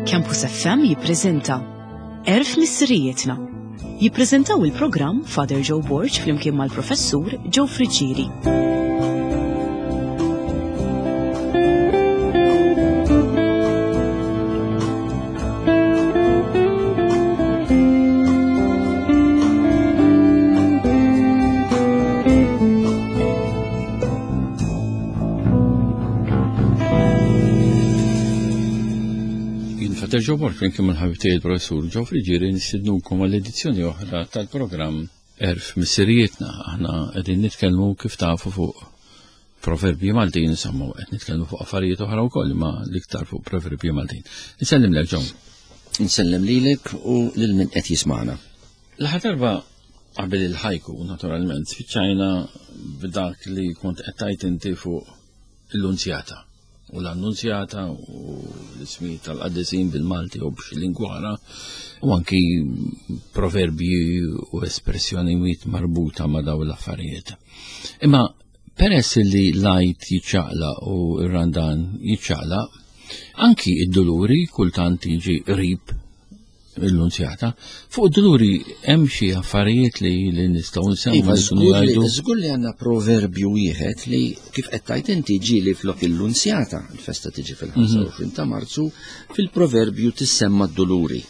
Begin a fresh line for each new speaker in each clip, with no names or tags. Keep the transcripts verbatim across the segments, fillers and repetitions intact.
Campus F M jippreżenta Għerf Missirijietna. Jippreżentaw il-programm Father Joe Borg flimkien mal-Professur Joe Friggieri.
Father Joe Borg flimkien mal-ħabib tiegħi il-Professur Joe Friggieri nistednukom għall-edizzjoni oħra tal-programm Għerf Missirijietna. Aħna qegħdin nitkellmu kif tafu fuq proverbji Maltin, insomma, qed nitkellmu fuq affarijiet oħra wkoll, imma l-iktar fuq proverbji Maltin. Insellimlek Joe.
Insellem lilek u lil min qed jismagħna.
L-aħħar darba qabel il-ħajku, naturalment, spiċċajna b'dak li kont qed tgħid inti fuq l-Lunzjata. U l-Annunzjata u l-ismi tal-qaddisin bil-Malti u b'xi lingwa oħra, u anki proverbji u espressjonijiet marbuta ma' dawn l-affarijiet. Imma peress li l-Għid jiċċaqlaq u r-Randan jiċċaqlaq, anki id-duluri kultant jiġi qrib l-Lunzjata. Fuq id-duluri hemm xi affarijiet li, li nistgħu nsemmu
Iva,
li
żgur
kienu
li
jgħidu.
żgur li għandna proverbju wieħed li kif qed tgħid inti ġieli flok il-Lunzjata, il-festa tiġi fil-ħamsa u għoxrin ta' Marzu, fil-proverbju tissemma d-duluri.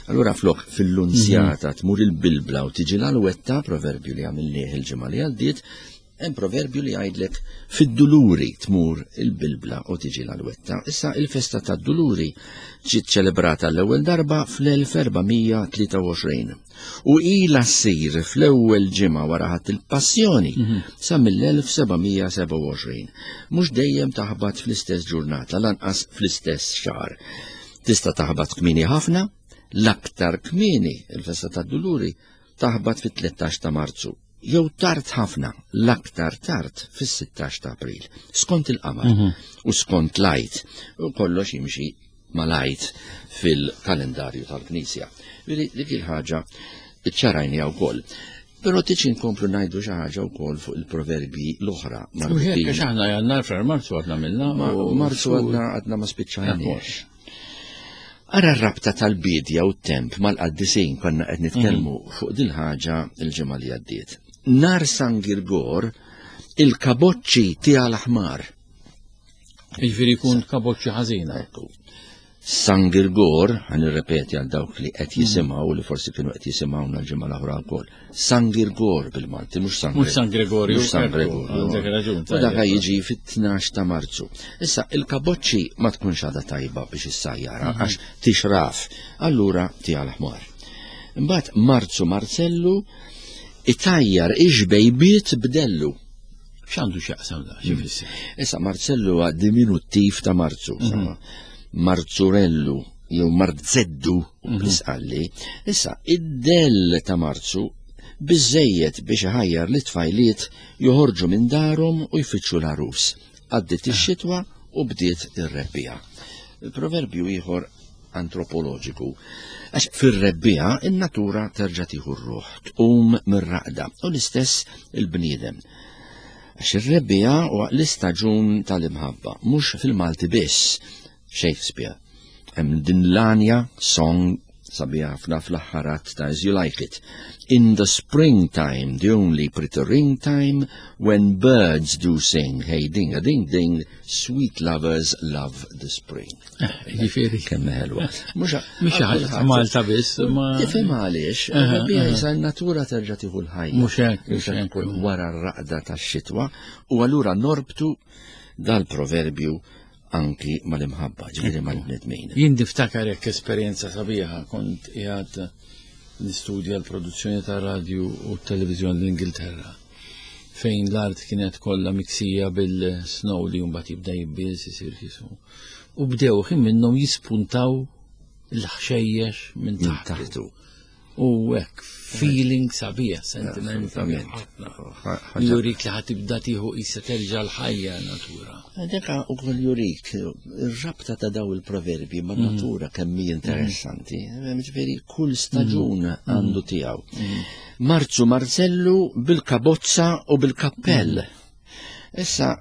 Allura flok fil-Lunzjata
Mhm.
tmur il-Bilbla u tiġi l-Alwetta, proverbju li għamilnieh il-ġimgħa li għaddiet, hemm proverbju li jgħidlek fid-duluri tmur il-Bilbla u tiġi l-Alwetta. Issa il-festa tad-duluri ġiet ċelebrata l-ewwel darba fl-elf erba' mija tlieta u għoxrin u ilha ssir fl-ewwel ġimgħa wara Ħadd il-Passjoni
Mhm.
sa mill-elf seba' mija seba' u għoxrin. Mhux dejjem taħbat fl-istess ġurnata, lanqas fl-istess xahar. Tista' taħbat kmieni ħafna, l-aktar kmieni il-festa tad-duluri taħbat fit-tlettax ta' Marzu. Jew tard ħafna, l-aktar tard fis-sittax ta' April, skont il-qamar
Mhm.
u skont l-Għid, u kollox jimxi mal-Għid fil-kalendarju tal-Knisja. Veri, dik il-ħaġa iċċarajnija wkoll. Però tiġi nkomplu ngħidu xi ħaġa wkoll fuq il-proverbji l-oħra
U hekk
marbutin.
għax aħna jannar frar Marzu għadna minna
Ma-
u
Marzu
xhur.
għadna għadna ma spiċċajniex.
Ekku.
Ara r-rabta tal-bidja u t-temp mal-qaddisin konna qed nitkellmu
Mhm.
fuq dil-ħaġa il-ġimgħa li għaddiet. Nar San Girgor il-kaboċċi tiegħu l-aħmar.
Jiġifieri jkun kaboċċi ħażina.
Ekku. San Girgor, ħa nirrepeti għal dawk li qed
Mhm.
jisimgħu li forsi kienu qed jisimgħuna l-ġimgħa l-oħra wkoll. San Girgor bil-Malti, mhux San
Mhux San Gregorju,
Mhux San
ekku,
Gregorju.
għandek raġun,
U dak
tajjeb.
jiġi fit-tnax ta' Marzu. Issa il-kaboċċi ma tkunx għadha tajba biex issajjara
Mhm.
għax tixraf, allura tiegħu l-aħmar. Imbagħad Marzu Marzellu itajjar ix-xbejbiet b'dellu.
X'għandu x'jaqsam da? Xi jfisser?
Issa Marzellu huwa diminuttiv ta' Marzu,
Mhm.
insomma. Marzurellu jew Marzeddu
Mhm.
bl-isqalli. Issa id-dell ta' Marzu biżejjed biex iħajjar li tfajliet joħorġu minn darhom u jfittxu l-għarus. Għaddiet ix-xitwa u bdiet ir-rebbiegħa. Il-proverbju ieħor antropoloġiku. Għax fir-rebbiegħa in-natura terġa' tieħu r-ruħ, tqum mir-raqda u l-istess il-bniedem. Għax ir-rebbiegħa huwa l-istaġun tal-imħabba, mhux fil-Malti biss. Shakespeare. Hemm din l-anja song sabiħa ħafna fl-aħħar att ta' As You Like It. In the springtime, the only pretty ring time, when birds do sing, hey ding a ding ding, sweet lovers love the spring.
Eh, jiġifieri.
Kemm ħelwa. Mhux
Mhux ħaġa ta' Malta biss, ma
Tifhem għaliex,
Aha,
rebbiegħa
aha.
jisa n-natura terġa' tieħu l-ħajja.
Mhux hekk, mhux
Mhux
hekk.
hekk, wara r-raqda tax-xitwa, u allura norbtu dal-proverbju anki mal-imħabba, ġifieri mal-bnedmin.
Jien niftakar hekk esperjenza sabiħa, kont qiegħed nistudja l-produzzjoni ta' radju u televiżjoni l-Ingilterra, fejn l-art kienet kollha miksija bil-snow li mbagħad jibda jibbies isir kisu. U bdew ħin minnhom jispuntaw l-ħxejjex minn
Minn
taħtu.
taħtu.
U hekk, feeling sabiħ, sentiment sabiħ
Assolutament.
ħafna.
Ħaġa-
Jurik li ħatibda tieħu qisha terġa' l-ħajja natura.
Deka u koll jurik, ir-rabta ta' daw il-proverbi ma' natura kemm hi interessanti. Ġifieri kull staġun għandu tiegħu. Marzu Marzellu bil-kabozza u bil-kappell. Issa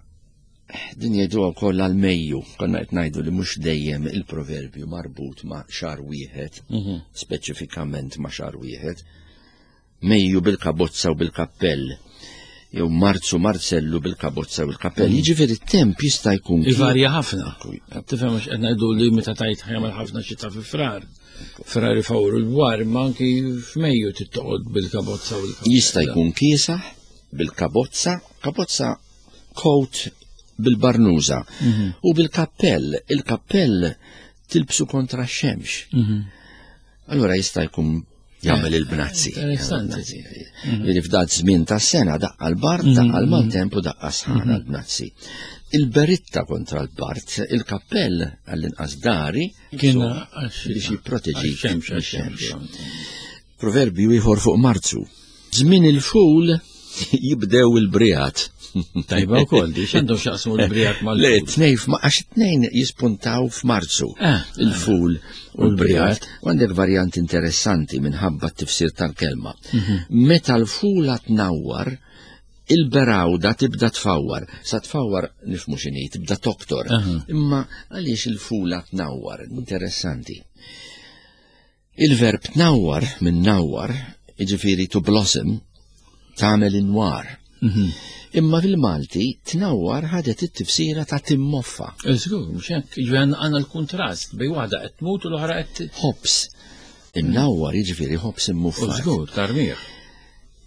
Din jgħiduha wkoll għal Mejju, konna qed ngħidu li mhux dejjem il-proverbju marbut ma' xahar wieħed,
Mhm.
speċifikament ma' xahar wieħed. Mejju bil-kabozza u bil-kappell, jew Marzu Marzellu bil-kabozza u l-kappell. Jiġifieri t-temp jista' jkun
Ivarja ħafna. Tifhem għax qed ngħidu li meta tajt ħajamel ħafna xita fi frar. Frar ifawru l-bwar, imma anki f'Mejju tittoqgħod bil-kabozza u l-kappell.
Jista' jkun kiesaħ bil-kabozza, kabozza coat bil-barnuża u bil-kappell. Il-kappell tilbsu kontra x-xemx.
Mhm.
Allora jista' jkun jagħmel il-bnazzi.
Interessanti.
Li f'dat żmien tas-sena daqqa l-bard, daqqa l-maltemp u daqqa sħana l-bnazzi. Il-beritta kontra l-bard, il-kappell għall-inqas dari,
Kien
so,
għax-
biex jipproteġi
għax-xemx,
mix-xemx.
għax-xemx.
Proverbju ieħor fuq Marzu. Żmien il-ful jibdew il-brijat.
Tajba wkoll, di x'għandhom x'jaqsmu l-brijat mal
Le, tnej, f'ma- għax tnejn jispuntaw f'Marzu.
Ah,
Il-ful u l-brijat.
l-brijat.
U għandek varjant interessanti minħabba t-tifsir tal-kelma. Meta l-fula tnawwar, il-berawda tibda tfawwar. Sa tfawwar nifmu x'inhi, tibda toktor.
Aha.
Imma għaliex il-fula tnawwar? Interessanti. Il-verb tnawwar minn nawwar, jiġifieri to blossom, tagħmel inwar.
Mhm.
Imma fil-Malti tnawwar ħadet it-tifsira ta' timmoffa.
Żgur, mhux hekk, jiġifieri għandna l-kuntrast bejn waħda qed tmut u l-oħra qed
Ħobs. Imnawwar jiġifieri ħobs
U
immuffa.
żgur, tarmiħ.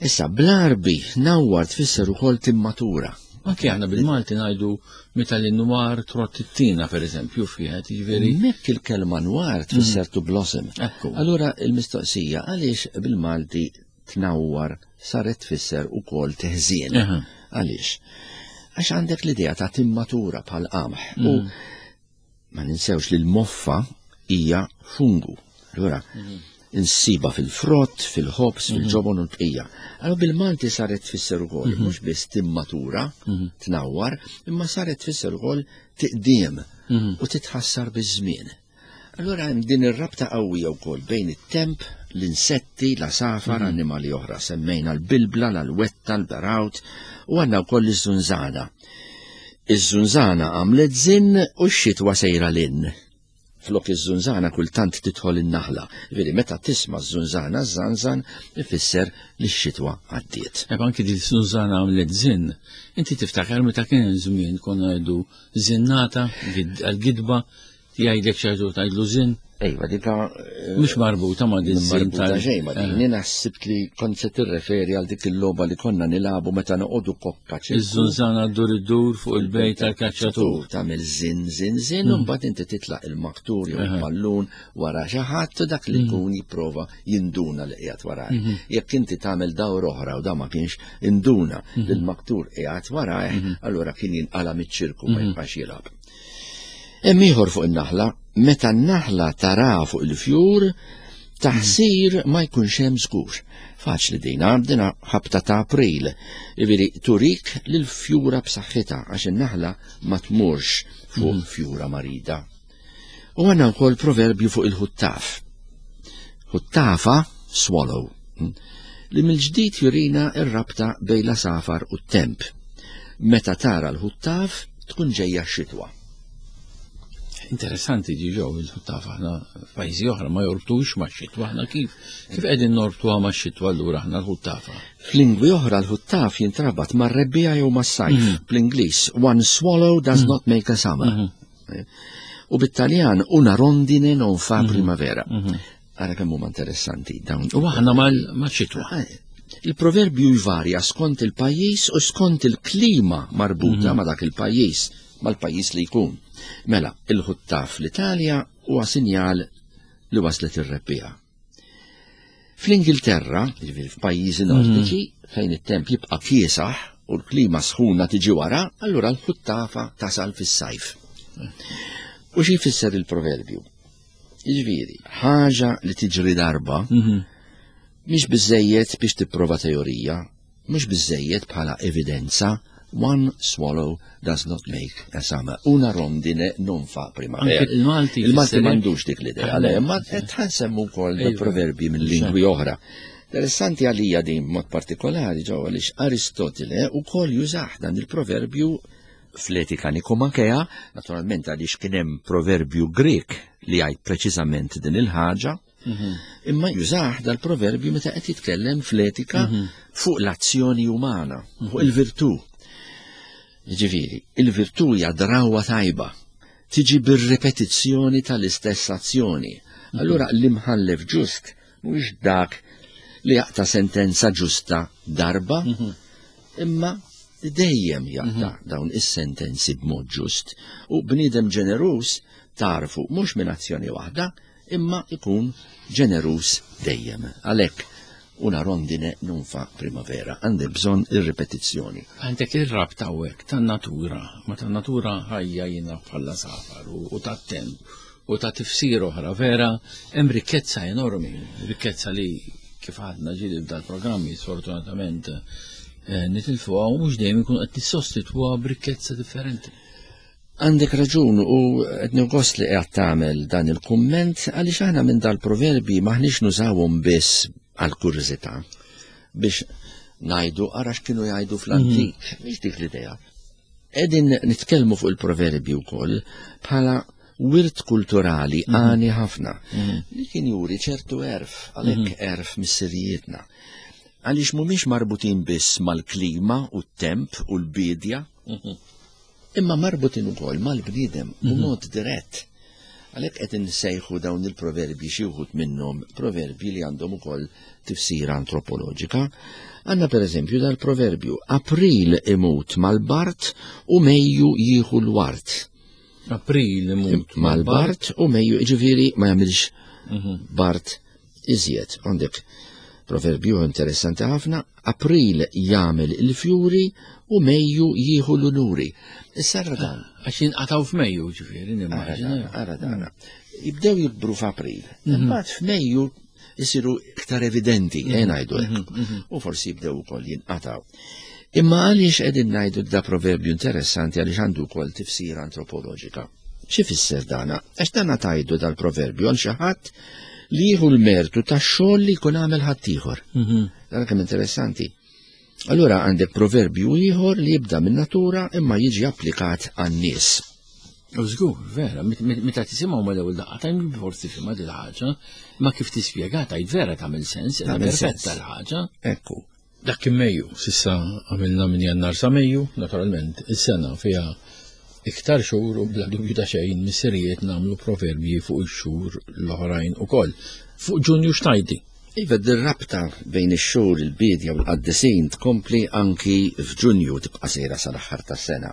Issa bl-Arbi nawwar tfisser ukoll timmatura.
Anki aħna bil-Malti ngħidu meta l-nwar trott it-tina, per eżempju, fiħet, jiġifieri.
Mekk il-kelma nwar tfisser to blossom.
Ekku.
Allura il-mistoqsija għaliex bil-Malti tnawwar saret tfisser ukoll teħżien.
Aha.
Għaliex? Għax għandek l-idea ta' timmatura bħal qamħ. U ma ninsewx li l-moffa hija fungu. Allura, insiba fil-frott, fil-ħobs, fil-ġobon u l-bqija. Allora bil-Malti saret tfisser ukoll, mhux biss timmatura, tnawwar, imma saret tfisser ukoll tiqdiem u titħassar biż-żmien. Allora hemm din ir-rabta qawwija wkoll bejn it-temp, l-insetti, l-asafar, annimali oħra. Semmejna l-bilbla, l-alwetta, l-berawt u għandna wkoll iż-żunżana. Iż-żunżana għamlet żinn u x-xitwa sejra lin. Flok iż-żunżana kultant tidħol in-naħla. Veri meta tisma' ż-żunżana żanżan ifisser li x-xitwa għaddiet.
Eb anki di Sużana għamlet zin. Inti tiftakar meta kien żmien konna ngħidu zinnata gid- għal-gidba jgħidlek xi tgħidlu zin,
Ejwa, dika
mhux marbuta ma' din zin
marbuta
tal
xejn ma din. Jiena ħsibt li kont se tirreferi għal dik il-logħba li konna nilagħbu meta noqogħdu kokka ċirku.
Iż-żunżana ddur iddur fuq il-bejt tal-kaċċatur.
Tagħmel żin żin żin u mbagħad inti titlaq il-maktur jew il-ballun wara xi ħadd u dak li jkun jipprova jinduna li qiegħed warajh. Jekk inti tagħmel dawr oħra u da ma kienx induna li l-maktur qiegħed warajh, allura kien jinqala miċ-ċirku ma jibqax jilgħab. Hemm ieħor fuq in-naħla, meta n-naħla tara fuq il-fjur, taħsir ma jkunx hemm żgur. Faċli din, dina ħabta ta' April. Jiġifieri turik lil fjura b'saħħitha għax in-naħla ma tmurx fuq fjura marida. U għandna wkoll proverbju fuq il-ħuttaf. Ħuttafa swallow. mm, Li mill-ġdid jurina ir-rabta bejn l-asafar u t-temp. Meta tara l-ħuttaf tkun ġejja x-xitwa.
Interessanti ġi ġew il-ħuttaf aħna f'pajjiżi oħra ma jorbtux ma' xitwa aħna kif kif qegħdin norbtuha ma' xitwa allura aħna l-ħuttafa.
F'lingwi oħra l-ħuttaf jintrabat mar-rebbiegħa jew mas-sajf. Bl-Ingliż, one swallow does not make a summer. Eh, U bit-Taljan, una rondine non fa primavera. Ara kemm huma interessanti dawn.
U aħna ma' xitwa.
Eh, Il-proverbju jvarja skont il-pajjiż u skont il-klima marbuta ma' dak il-pajjiż, mal-pajjiż li jkun. Mela, il-ħuttaf l-Italja huwa sinjal li waslet ir-rebbiegħa. Fl-Ingilterra, jiġifieri f'pajjiżi nordiċi, fejn it-temp jibqa' kiesaħ u l-klima sħuna tiġi wara, allura l-ħuttafa tasal fis-sajf. U xi jfisser il-proverbju? Jiġifieri, ħaġa li tiġri darba mhix biżejjed biex tipprova teorija, mhux biżejjed bħala evidenza, one swallow does not make a summer. Una rondine non fa primavera.
Anke il-Malti
Il-Malti
jfisser-
m'għandux dik l-idea, le, ma qed ħansemmu wkoll
Ejwa.
proverbi minn lingwi oħra. Interessanti għalija din mod partikolari ġew għaliex Aristotile wkoll jużah dan il-proverbju fl-Etika Nikomakea, naturalment għaliex kien hemm proverbju Grek li jgħid preċiżament din il-ħaġa, mhm. imma jużah dal-proverbju meta qed jitkellem fl-etika mhm. fuq l-azzjoni umana, fuq il-virtù. Ġifieri, il-virtù hija drawwa tajba, tiġi bir-ripetizzjoni tal-istess azzjoni. Mhm. Allura l-imħallef ġust mhuwiex dak li jaqta' sentenza ġusta darba, imma dejjem jaqta' mhm. dawn is-sentenzi b'mod ġust. U bniedem ġeneruż tarfu mhux minn azzjoni waħda, imma ikun ġeneruż dejjem. Għalhekk una rondine non fa primavera, għandek bżonn ir-ripetizzjoni.
Għandek ir-rabta hawnhekk tan-natura, ma tan-natura ħajja jiena bħala safar u tat-temp u ta' tifsir oħra vera, hemm rikkezza enormi, rikkezza li kif għadna ġieli f'dal-programmi sfortunatament eh, nitilfuha u mhux dejjem ikun qed nissostitwuha b'rikkezza differenti.
Għandek raġun u qed gost li qed tagħmel dan il-kumment għaliex aħna minn dal-proverbi maħniex nużawhom biss għal kurżità biex ngħidu ara x'kienu jgħidu fl-antik, mhm. mhix dik l-idea. Qegħdin nitkellmu fuq il-proverbi wkoll bħala wirt kulturali mhm. għani ħafna mhm. li kien juri ċertu għerf, għalhekk għerf missirijietna. Għaliex mhumiex marbutin biss mal-klima u t-temp u l-bidja, imma marbutin ukoll mal-bniedem b'mod dirett. Għalhekk qed insejħu dawn il-proverbji xi wħud minnhom proverbji li għandhom ukoll tifsira antropoloġika. Għandna pereżempju dal-proverbju April imut mal-Bart u Mejju jieħu l-wart.
April imut
mal-Bart u Mejju ġifieri ma jagħmilx mhm. Bart iżjed. Għandek proverbju interessanti ħafna, April jagħmel il-fjuri u Mejju jieħu l-unuri. Issa ara dan.
Għax jinqatgħu f'Mejju ġifieri nimmaġina.
Ara dan. Jibdew jikbru f'April. Mhm. Imbagħad f'Mejju jisiru iktar evidenti, eh, mhm. ngħidu hekk. Mhm, u forsi jibdew ukoll jinqatgħu. Imma għaliex qegħdin ngħidu da proverbju interessanti għaliex għandu wkoll tifsira antropoloġika. Xi fisser dana? Għax dana tajdu dal-proverbju għal xi ħadd li jieħu l-mertu tax-xogħol li jkun għamel ħaddieħor. Mhm. Dan kemm interessanti. Allura għandek proverbju ieħor li jibda minn natura imma jiġi applikat għan-nies.
U żgur, vera, meta tisimgħu mal-ewwel daqqa ta' forsi fimha dil ħaġa, ma kif tispjega tgħid vera tagħmel sens,
tagħmel
perfetta l-ħaġa.
Ekku.
Dak kien Mejju, s'issa għamilna minn Jannar sa Mejju, naturalment, is-sena fiha iktar xhur u bla dubju ta' xejn missirijiet nagħmlu proverbji fuq ix-xhur l-oħrajn ukoll. Fuq Ġunju x'tgħidli?
Iva, dir-rabta bejn ix-xhur il-biedja u l-qaddisin tkompli anki f'Ġunju tibqa' sejra sal-aħħar tas-sena.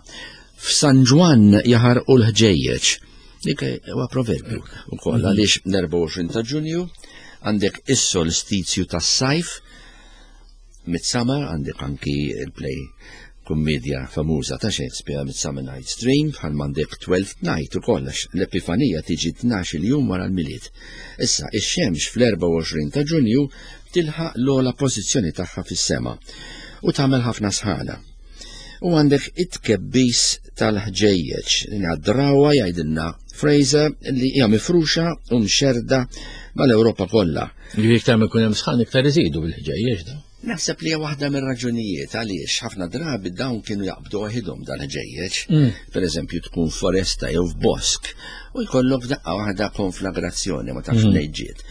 F'San Ġwann jaħarqu l-ħġejjeġ. Dik huwa proverbju wkoll mhm. għaliex l-erbgħa u għoxrin ta' Ġunju għandek is-solstizju tas-sajf, Midsummer, għandek anki il-play kummedja famuża ta' Shakespeare Midsummer Night's Dream, bħal m'għandek Twelfth Night ukoll għax l-Epifanija tiġi tnax-il jum wara l-Milied. Issa, ix-xemx fl-erbgħa u għoxrin ta' Ġunju tilħaq l-ogħla pożizzjoni tagħha fis-sema u tagħmel ħafna sħana. U għandek it-tkebbis tal-ħġejjeġ, din hija drawwa jgħidilna Fraser li hija mifruxa u mxerrda mal-Ewropa kollha.
Ġifieri iktar ma jkun hemm sħan iktar iżidu bil-ħġejjeġ da.
Naħseb li hija waħda mir-raġunijiet għaliex ħafna drabi dawn kienu jaqbdu waħidhom dal-ħġejjeġ. Mm. Per eżempju tkun foresta jew f'bosk u jkollok daqqa waħda konflagrazzjoni ma tafx mm. mnejn ġiet.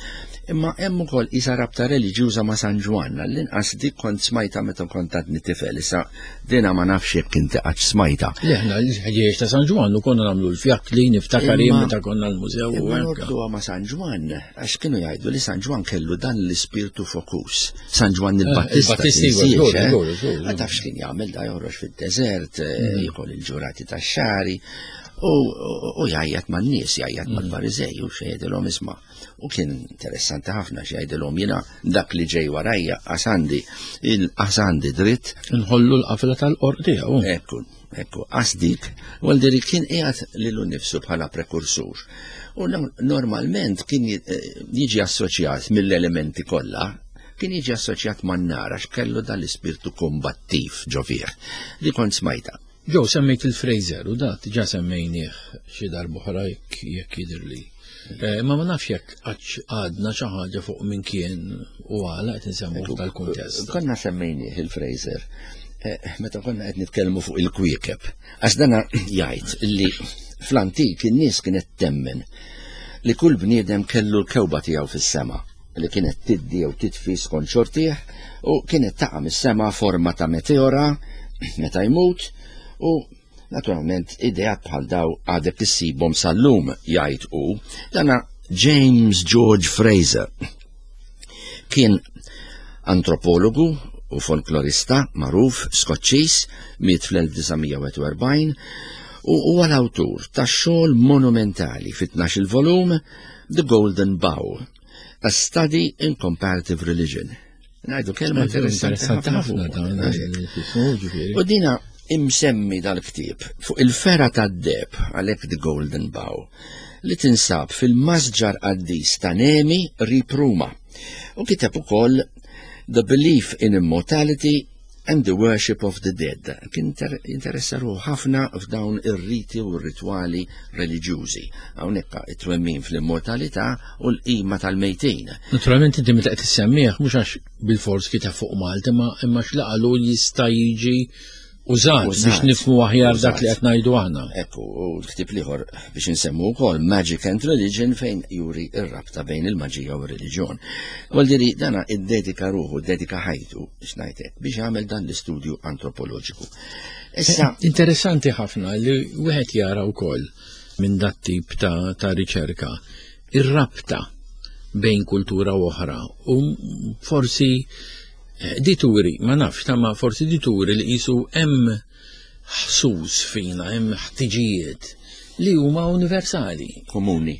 Imma hemm ukoll isa rabta reliġjuża ma' San Ġwann, għall-inqas dik kont smajta meta kont għadni tifel, issa dina ma nafx jekk inti qattx smajta.
Le aħna l-ħġieġ ta' San Ġwann u konna nagħmlu l-fjakkli niftakar jien meta konna l-mużew u
hekk. Norbtuha ma' San Ġwann għax kienu jgħidu li San Ġwann kellu dan l-ispirtu fokus. San Ġwann eh, il-Battista.
Il-Battista,
Ma tafx kien jagħmel da joħroġ fid-deżert, eh, mm. jikol il-ġurati tax-xari u jgħajjat man-nies, jgħajjat mm. mal-Fariżej u xejdelhom isma'. U kien interessanti ħafna x'jgħidilhom jiena dak li ġej warajja għasandi il-għasandi dritt.
Nħollu l-qafla tal-qorq tiegħu.
Ekku, ekku, għasdik, għal kien qiegħed lilu nnifsu bħala prekursur. U normalment kien eh, jiġi assoċjat mill-elementi kollha, kien jiġi assoċjat man-nar għax kellu dal-ispirtu kombattiv ġo fih li kont smajta.
Joe, semmejt il-Fraser u da diġà semmejnieh xi darb'oħra jekk jekk jidhirli. Eh, imma ma nafx jekk għadx għadna xi ħaġa fuq min kien u għala qed insemmu f'dal-kuntest.
Konna semmejnieh il-Fraser. Eh, meta konna qed nitkellmu fuq il-kwiekeb, għax dana jgħid li fl-antik in-nies kienet temmen li kull bniedem kellu l-kewba tiegħu fis-sema li kienet tiddi jew titfi skont xortih u kienet taqa' mis-sema forma ta' meteora meta jmut u naturalment ideat bħal daw għadek issibhom sal-lum jgħid hu. Dana James George Frazer kien antropologu u folklorista magħruf Skoċċiż, miet fl-elf disa' mija u wieħed u erbgħin u huwa l-awtur ta' xogħol monumentali fi tnax-il volum The Golden Bough, A Study in Comparative Religion. Ngħidu kelma
Interessanti
interessanti
ħafna
ħafna
dan,
fuq.
eh, tismu, ġifieri.
U dina imsemmi dal-ktieb fuq il-fera tad-deb għalhekk The Golden Bough li tinsab fil-masġar qaddis ta' Nemi qrib Ruma. U kiteb ukoll The Belief in Immortality and the Worship of the Dead. Kien inter-, interessa ruħu ħafna f'dawn ir-riti u r-ritwali reliġjużi. Hawnhekk it-twemmin fl-immortalità u l-qima tal-mejtin.
Naturalment inti meta qed issemmih mhux għax bil-fors kiteb fuq Malta, imma, imma x'laqalu jista' jiġi użat
Użat.
biex nifhmu aħjar dak li
Użat.
qed ngħidu aħna.
Ekku, u l-ktieb l-ieħor biex insemmu wkoll Magic and Religion fejn juri r-rabta bejn il-maġija u r-reliġjon. Vuol dana iddedika ruħu, iddedika ħajtu biex ngħidlek biex jagħmel dan l-istudju antropoloġiku. Issa
Eh, interessanti ħafna li wieħed jara wkoll minn dat tip ta', ta' riċerka ir-rabta bejn kultura u oħra u forsi dituri, ma nafx, ta' ma forsi dituri li qisu hemm ħsus fina, hemm ħtiġijiet li huma universali.
Komuni.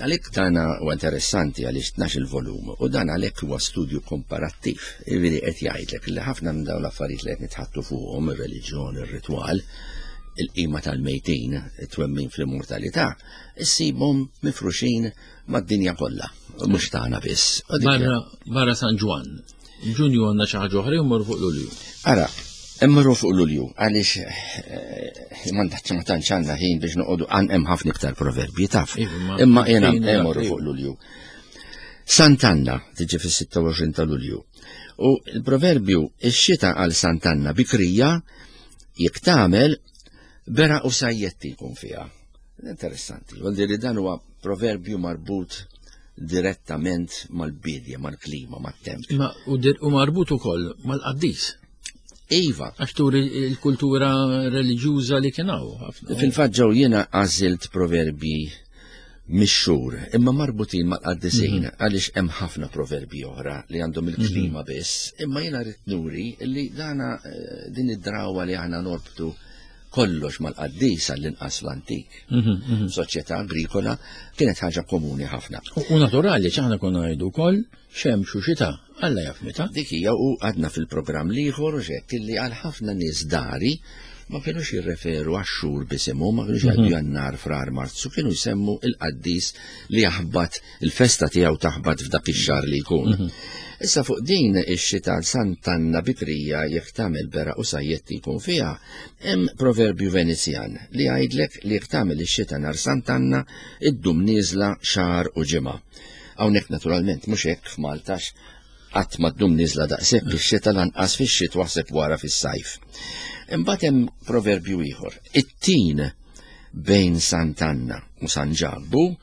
Għalhekk tana huwa interessanti għaliex tnax-il volum u dan għalhekk huwa studju komparattiv. Jiġifieri qed jgħidlek li ħafna minn dawn l-affarijiet li qed nitħattu fuqhom, ir-reliġjon, ir-ritwal, il-qima tal-mejtin, it-twemmin fl-immortalità, issibhom mifruxin mad-dinja kollha, mhux tagħna biss. U dik
Barra, barra San Ġwann, Ġunju għandna xi ħaġa oħra jew mmorru fuq Lulju?
Ara, immorru fuq Lulju, għaliex, eh, ma tantx ma tantx għandna ħin biex noqogħdu għan hemm ħafna iktar proverbji taf.
Iva, ma
Imma jiena
fejn dak,
immorru
iva.
fuq Lulju. Sant'Anna tiġi fis-sitta u għoxrin ta' Lulju. U l-proverbju ix-xita għal Sant'Anna bikrija jekk tagħmel bera u sajjetti jkun fiha. Interessanti, vuol dire dan huwa proverbju marbut direttament mal-bidja, mal-klima, mat-temp.
Ma u dir-, u marbut ukoll mal-qaddis.
Iva.
Għax turi l-kultura reliġjuża li kien hawn ħafna.
Fil-fatt ġew jiena għażilt proverbi mix-xhur, imma marbutin mal-qaddisin,
Mhm.
għaliex hemm ħafna proverbi oħra li għandhom il-klima
Mhm.
biss, imma jiena rrid nuri li dana, eh, din id-drawa li aħna norbtu kollox mal-qaddis għall-inqas l-antik.
Mhm, mhm.
Soċjetà agrikola kienet ħaġa komuni ħafna.
U, u naturali ċaħna konna ngħidu wkoll xemx u xita, Alla jaf meta.
Dik hija u għadna fil-programm l-ieħor u xek illi għal ħafna nies dari ma kienux jirreferu għax-xhur bisimhom, ma kienux jgħidu
Mhm.
Jannar, Frar, Marzu, kienu jsemmu il-qaddis li jaħbat il-festa tiegħu taħbat f'dak ix-xahar li jkun.
Mhm.
Issa fuq din ix-xita Sant'Anna bikrija jekk tagħmel bera u sajjetti jkun fiha, hemm proverbju Venezjan li jgħidlek li jekk tagħmel ix-xita nhar Sant'Anna iddum nieżla xahar u ġimgħa. Hawnhekk naturalment mhux hekk f'Maltax qatt ma ddum nieżla daqshekk ix-xita lanqas fix-xitwa ħseb wara fis-sajf. Imbagħad hemm proverbju ieħor. It-tin bejn Sant'Anna u San Ġabbu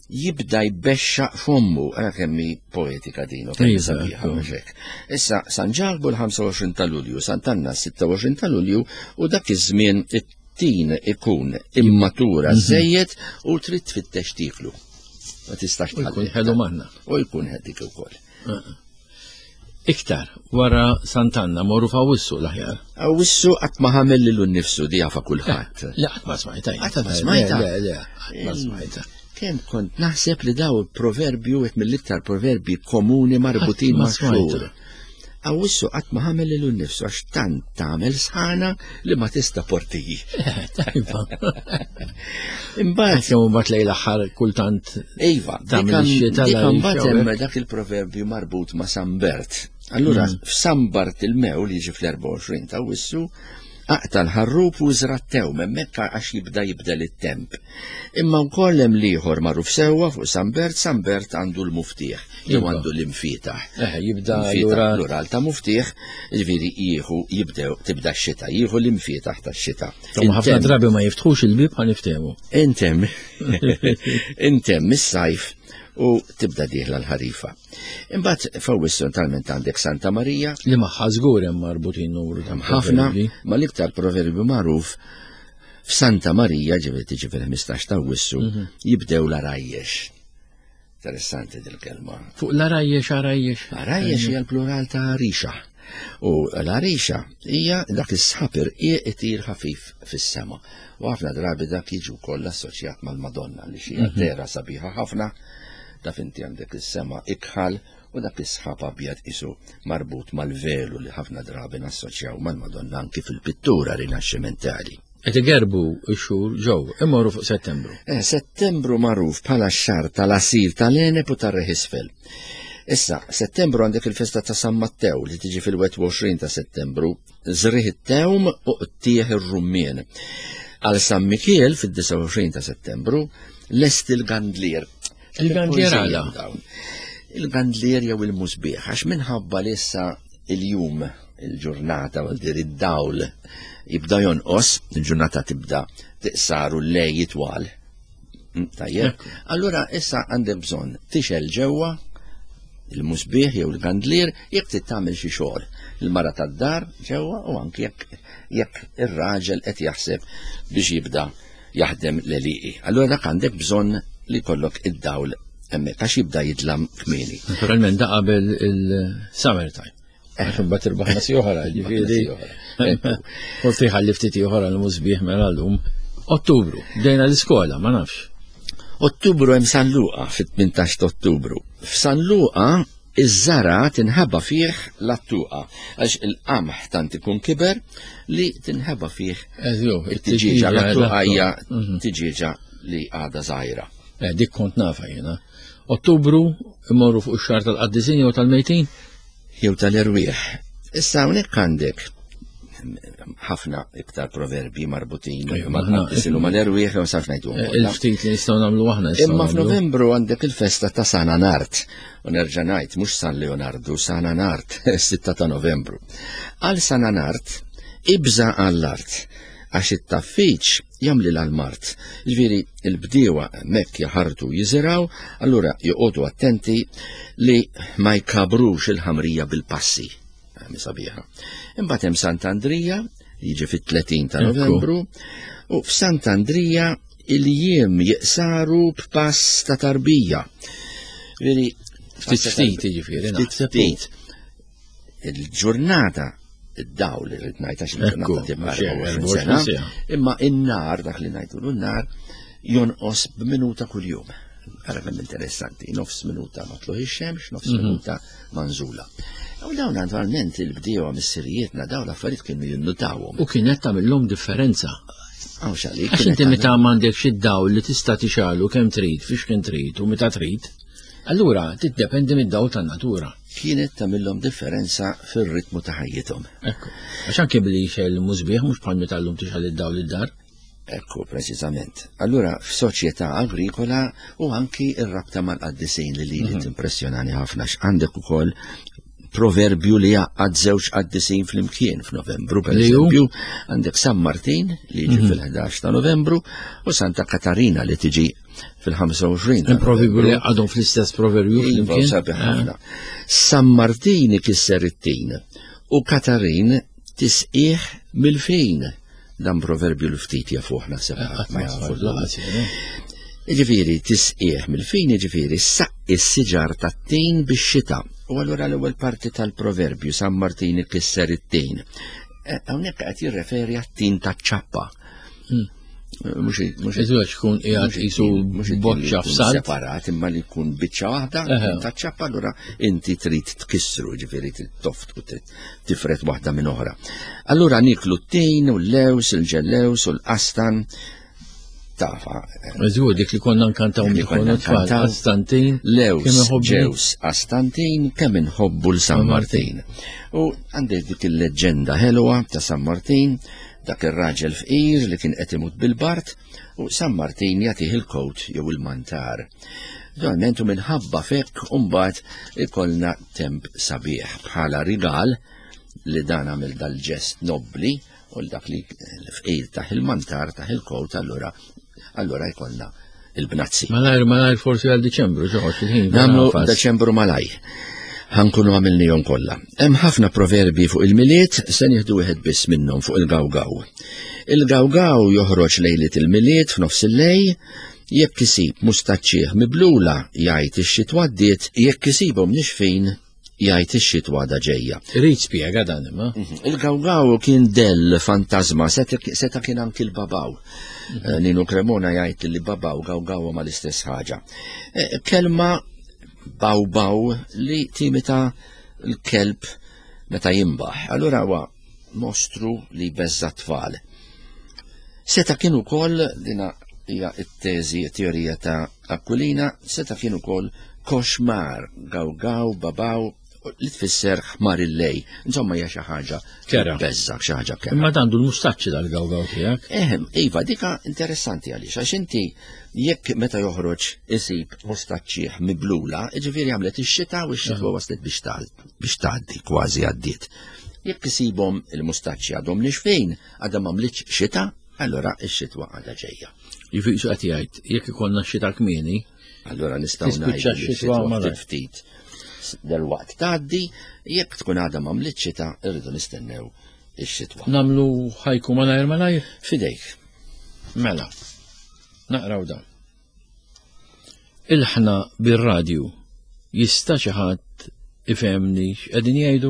jibda jbexxaq fommu, ara kemm hi poetika din, u kemm hi
Iva,
sabiħa,
ekku.
mhux hekk. Issa San Ġakbu l-ħamsa u għoxrin ta' Lulju, Sant'Anna s-sitta u għoxrin ta' Lulju, u dak iż-żmien it-tin ikun immatura
Mhm.
żejjed u trid tfittex tieklu. Ma tistax
U jkun
tħalli.
ħelu manna.
U jkun ħedik ukoll.
Iktar, wara Sant'Anna morru f'Awwissu l-aħjar.
Awwissu qatt ma ħamel lilu nnifsu di jafa kulħadd.
Le, qatt ma smajta.
Qatt ma smajta?
Le, le, qatt ma smajta.
Kemm kont naħseb li daw proverbju wieħed mill-iktar proverbji komuni marbutin
Qatt ma
ma' xhur.
smajta.
Awwissu qatt ma ħamel lilu nnifsu għax tant tagħmel sħana li ma tista' portiji.
Eh, tajba.
Imbagħad
Kemm imbagħad lejl aħħar kultant
Iva,
tagħmel
dik
ix-xita
dik
la
imbagħad
jxewwek.
hemm dak il-proverbju marbut ma' San Bert. Allura
Mm.
f'San Bart il-mew li jiġi fl-erbgħa u għoxrin ta' Awwissu Aqta' l-ħarrub u żra' t-tewm, hemmhekk għax jibda jibdel it-temp. Imma wkoll hemm l-ieħor magħruf sewwa fuq San Bert, San Bert għandu l-muftieħ, jew għandu l-imfietaħ.
Eh, jibda
allura plural ta' muftieħ, jiġifieri jieħu jibdew tibda x-xita, jieħu l-imfietaħ tax-xita.
Ħafna drabi ma jiftħux il-bieb ħa niftehmu.
Intemm. Intemm is-sajf u tibda dieħla l-ħarifa. Imbagħad f'Awwissu talment għandek Santa Marija.
Li magħha żgur hemm marbutin numru ta'
ħafna, ma l-iktar proverbju magħruf f'Santa Marija, ġifieri tiġi fil-ħmistax ta' Awwissu, mhm. jibdew l-arajjex. Interessanti dil-kelma.
Fuq l-arajjex, arajjex.
Arajjex hija l-plural ta' rixa. U l-għarixa hija dak is-sħab irqiq itir ħafif fis-sema. U ħafna drabi dak jiġi wkoll assoċjat mal-Madonna li xi mhm. dehra sabiħa ħafna. Taf inti għandek is-sema ikħal u dak is-sħab abjad isu marbut mal-velu li ħafna drabi nassoċjaw mal-Madonna anki fil-pittura rinaxximentali.
Qed igerbu x-xhur ġew, immorru fuq Settembru.
Eh, Settembru magħruf bħala x-xahar tal-għasir tal-għeneb u tar-riħ isfel. Issa, Settembru għandek il-festa ta' San Mattew li tiġi fil-wieħed u għoxrin ta' Settembru, żrigħ it-tewm u qtieħ ir-rummien. Għal San Mikiel fid-disgħa u għoxrin ta' Settembru, lest il-gandlier.
Il-gandlier għala?
Il-gandlier jew il-musbieħ, għax minħabba li issa il-jum, il-ġurnata, għal dir id-dawl, jibda jonqos, il-ġurnata tibda tiqsar u l-lej jitwal. Mm, tajjeb. Allura issa għandek bżonn tixel ġewwa il-musbieħ jew il-gandlier jekk trid tagħmel xi xogħol. Il-mara tad-dar ġewwa u anki jekk jekk ir-raġel qed jaħseb biex jibda jaħdem l-għelieqi. Allura dak għandek bżonn li jkollok id-dawl hemmhekk għax jibda jidlam kmieni.
Naturalment da qabel il-summer time. Għax imbagħad irbaħna si oħra, ġifieri. Forsi ħalli ftit ieħor għal musbieħ mela llum. Ottubru, bdejna l-iskola, ma nafx.
Ottubru hemm San Luqa fit-tmintax ta' Ottubru. F'San Luqa iż-żara tinħeba fih l-attuqa għax il-qamħ tant ikun kiber li tinħeba fih it-tiġieġa. L-attuqa hija mhm. tiġieġa li għadha żgħira.
Eh, dik kont nafa jiena. Ottubru imorru fuq ix-xahar tal-qaddisin jew tal-mejtin?
Jew tal-erwieħ. Issa hawnhekk għandek ħafna iktar proverbi marbutin mal-qaddisin u mal-erwieħ jew saf ngħidu.
Eh, il-ftit li nistgħu nagħmlu aħna.
Imma f'Novembru għandek il-festa ta' San Anart. U nerġa' ngħid mhux San Leonardu, San Anart, sitta ta' Novembru. Għal San Anart ibża' għall-art għax it-taffiċ jagħmlilha l-mard. Jiġifieri l-bdiewa hemmhekk jaħartu jiżirgħu, allura joqogħdu attenti li ma jkabrux il-ħamrija bil-passi. Hemm sabiħa. Imbagħad hemm Sant'Andrija li jiġi fit-tletin ta' Novembru u f'Sant'Andrija il-jiem jiqsaru b'pass ta' tarbija.
Veri, ftit ftit jiġifieri.
Ftit ftit. Il-ġurnata id-dawl li rrid ngħid għax il-ġurnata tibqa' sena, imma in-nar dak li ngħidulu n-nar jonqos b'minuta kuljum. Ara kemm interessanti, nofs minuta ma tluħ ix-xemx, nofs mhm. minuta manżula. U dawn naturalment il-bdiewa missirijietna dawn l-affarijiet kienu jinnutawhom.
U kienet tagħmilhom differenza. Għax inti meta m'għandekx id-dawl li tista' tixalu kemm trid, fiex kemm trid u meta trid, allura tiddependi mid-dawl tan-natura.
Kienet tagħmilhom differenza fir-ritmu ta' ħajjithom.
Ekku. Għax anke billi jxel musbieħ mhux bħal meta llum tixgħel id-dawl id-dar.
Ekku, preċiżament. Allura f'soċjetà agrikola u anki r-rabta mal-qaddisin li lili mhm. timpressjonani ħafna x'għandek ukoll proverbju li jgħaqqad żewġ qaddisin flimkien f'Novembru, per eżempju, għandek San Martin li jiġi mhm. fil-ħdax ta' Novembru u Santa Katarina li tiġi fil-ħamsa u għoxrin.
Proverbju li għadhom fl-istess proverbju
iva,
flimkien.
Sabiħ ħafna. San Martin ikisser it-tin u Katarin tisqih mill-fejn. Dan proverbju li ftit jafuh naħseb
eh,
ma jafu Ġifieri tisqih mill-fejn, ġifieri saqqi s-siġar tat-tin bix-xita. U allura l-ewwel parti tal-proverbju San Martin ikisser it-tin. Eh, hawnhekk qed jirreferi għat-tin taċ-ċappa.
Hmm.
Mhux mhux
Iżgħax kun qiegħed qisu boċċa f'salt.
Separat imma li jkun biċċa waħda taċ-ċappa allura inti trid tkissru, ġifieri trid toft u trid tifred waħda minn oħra. Allura niklu t-tin u l-lews, il-ġellews u l-qastan tafa.
Żgur dik li konna nkantaw
li konna
tfal, Qastantin,
Lews, ġews, Qastantin, kemm inħobbu l San Martin. U għandek dik il-leġġenda ħelwa ta' San Martin, Dak ir-raġel fqir li kien qed imut bil-bard u San Martin jagħtih il-kowt jew il-mantar. Naturalment u minħabba fekk mbagħad ikollna temp sabiħ bħala rigal li dan għamel dal-ġest nobbli u dak li l-fqir taħ il-mantar taħ il-kowt allura allura jkollna il-bnazzi.
Malajr, malajr forsi għal Diċembru, ġoħoġ il-ħin.
Nagħmlu Deċembru malaj. Ħankunu għamilnihom kollha. Hemm ħafna proverbi fuq il-Milied, se nieħdu wieħed biss minnhom fuq il-gawgaw. Il-gawgaw joħroġ lejliet il-Milied f'nofs il-lej, jekk isib mustaċċieħ miblula jgħid ix-xitwa għaddiet, jekk isibhom nixfin jgħid ix-xitwa għadha ġejja.
Irid spjega dan imma.
Il-gawgaw kien dell fantasma, seta kien anki l-babaw. Eh, Nino Cremona jgħid li babaw gawgaw ma l-istess ħaġa. Eh, Kelma baw baw li timita l-kelb meta jimbaħ. Allura huwa mostru li beżza tfal. Seta kien ukoll dina hija t-teżi teorija ta' Aquilina, seta kien ukoll koxmar, gawgaw, babaw, li tfisser ħmar il-lej. Insomma hija xi ħaġa
Kera.
beżza, xi ħaġa kera.
Imma dandu l-mustaċċi dal-gawgaw tiegħek.
Ehem, iva, dika interessanti għaliex, għax inti jekk meta joħroġ isib mustaċċieħ miblula, ġifieri għamlet ix-xita u x-xitwa waslet biex tal- biex tgħaddi, kważi għaddiet. Jekk isibhom il-mustaċċi għadhom nixfin, għadha m'għamlitx xita, allora x-xitwa għadha ġejja.
Jifiq su qed jgħid, jekk ikollna xita kmieni,
Allora nistgħu
Tispiċċa
ngħidu li
x-xitwa
x-xitwa
malajr.
ftit ftit delwaqt tgħaddi, jekk tkun għadha m'għamlitx xita, irridu nistennew ix-xitwa.
namlu ħajku malajr malajr.
Fidejk.
Mela, naqraw dan. Il-ħna bir-radju jista' xi ħadd ifhemni x'qegħdin jgħidu?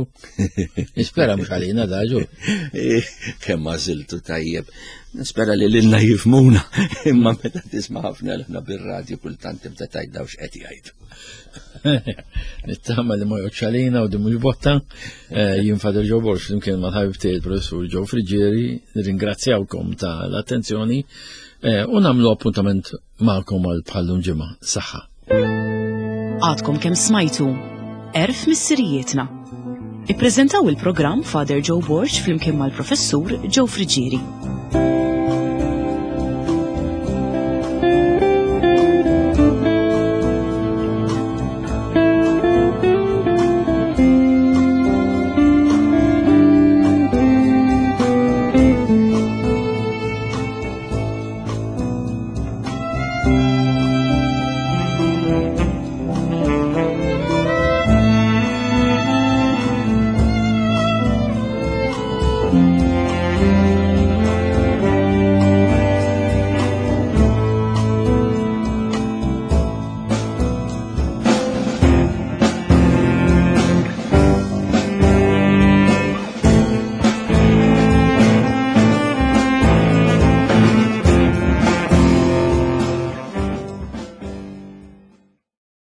Nispera mhux għalina da ġu.
Kemm għażiltu tajjeb. Nispera li lilna jifmuna, imma meta tisma' ħafna l-ħna bir-radju kultant tibda tgħid daw x'qed jgħidu.
Nittama li ma joqgħodx għalina u di mhux botta. Eh, Jien Father Joe Borg flimkien mal-ħabib tiegħi il-professur Joe Friggieri, nirringrazzjawkom tal-attenzjoni eh, u nagħmlu appuntament magħkom għal bħallum ġimgħa. Saħħa.
Għadkom kemm smajtu Erf Missirijietna. Ippreżentaw il-programm Father Joe Borg flimkien mal-professur Joe Friggieri.